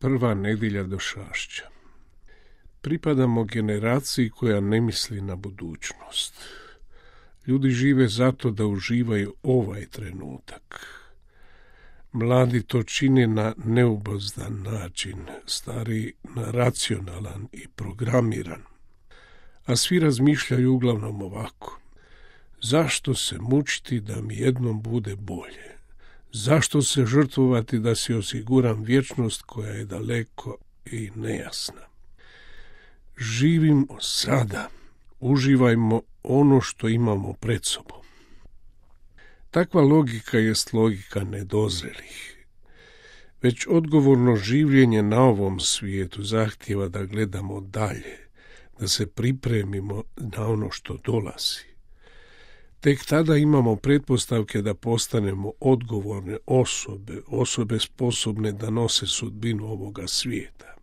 Prva nedjelja došašća. Pripadamo generaciji koja ne misli na budućnost. Ljudi žive zato da uživaju ovaj trenutak. Mladi to čine na neubozdan način, stari na racionalan i programiran. A svi razmišljaju uglavnom ovako. Zašto se mučiti da mi jednom bude bolje? Zašto se žrtvovati da si osiguram vječnost koja je daleko i nejasna? Živimo sada, uživajmo ono što imamo pred sobom. Takva logika jest logika nedozrelih. Već odgovorno življenje na ovom svijetu zahtijeva da gledamo dalje, da se pripremimo na ono što dolazi. Tek tada imamo pretpostavke da postanemo odgovorne osobe sposobne da nose sudbinu ovoga svijeta.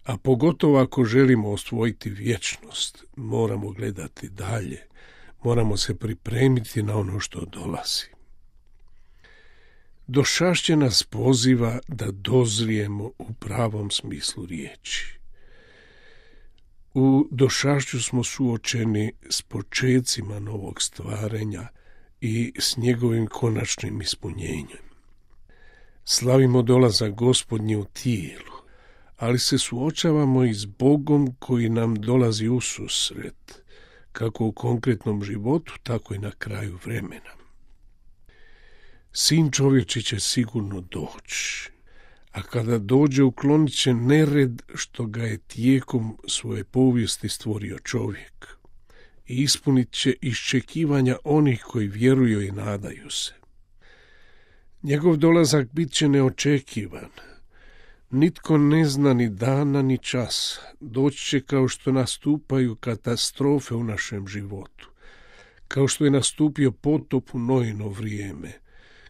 A pogotovo ako želimo osvojiti vječnost, moramo gledati dalje, moramo se pripremiti na ono što dolazi. Došašće nas poziva da dozrijemo u pravom smislu riječi. U došašću smo suočeni s počecima novog stvaranja i s njegovim konačnim ispunjenjem. Slavimo dolazak Gospodnji u tijelu, ali se suočavamo i s Bogom koji nam dolazi ususret, kako u konkretnom životu, tako i na kraju vremena. Sin čovječi će sigurno doći, a kada dođe uklonit će nered što ga je tijekom svoje povijesti stvorio čovjek i ispunit će iščekivanja onih koji vjeruju i nadaju se. Njegov dolazak bit će neočekivan. Nitko ne zna ni dana ni časa. Doći će kao što nastupaju katastrofe u našem životu, kao što je nastupio potop u Noino vrijeme,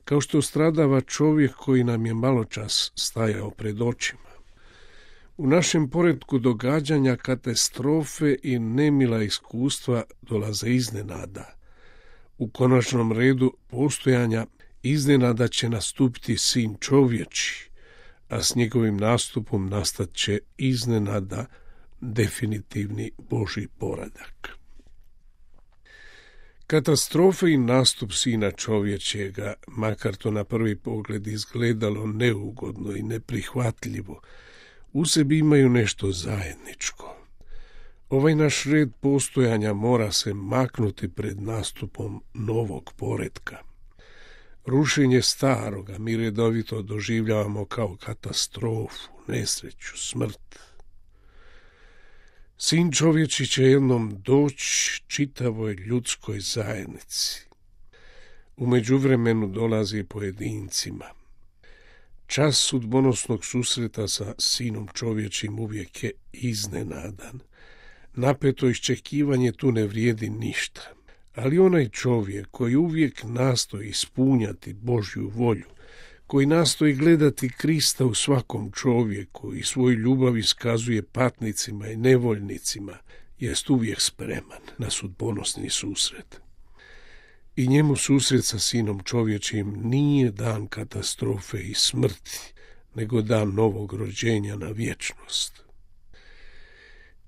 kao što stradava čovjek koji nam je maločas stajao pred očima. U našem poretku događanja katastrofe i nemila iskustva dolaze iznenada. U konačnom redu postojanja iznenada će nastupiti Sin čovječi, a s njegovim nastupom nastat će iznenada definitivni Božji poredak. Katastrofe i nastup Sina čovječega, makar to na prvi pogled izgledalo neugodno i neprihvatljivo, u sebi imaju nešto zajedničko. Ovaj naš red postojanja mora se maknuti pred nastupom novog poretka. Rušenje staroga mi redovito doživljavamo kao katastrofu, nesreću, smrt. Sin čovječi će jednom doći čitavoj ljudskoj zajednici. U međuvremenu dolazi pojedincima. Čas sudbonosnog susreta sa Sinom čovječim uvijek je iznenadan. Napeto iščekivanje tu ne vrijedi ništa. Ali onaj čovjek koji uvijek nastoji ispunjati Božju volju, koji nastoji gledati Krista u svakom čovjeku i svoju ljubav iskazuje patnicima i nevoljnicima, jest uvijek spreman na sudbonosni susret. I njemu susret sa Sinom čovječim nije dan katastrofe i smrti, nego dan novog rođenja na vječnost.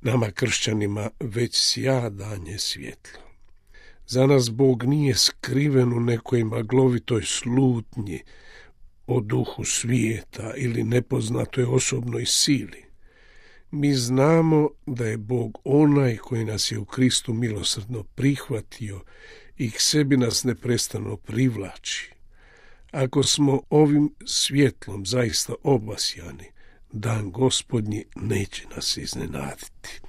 Nama kršćanima već sjadanje svjetlo. Za nas Bog nije skriven u nekoj maglovitoj slutnji o duhu svijeta ili nepoznatoj osobnoj sili. Mi znamo da je Bog onaj koji nas je u Kristu milosrdno prihvatio i k sebi nas neprestano privlači. Ako smo ovim svjetlom zaista obasjani, dan Gospodnji neće nas iznenaditi.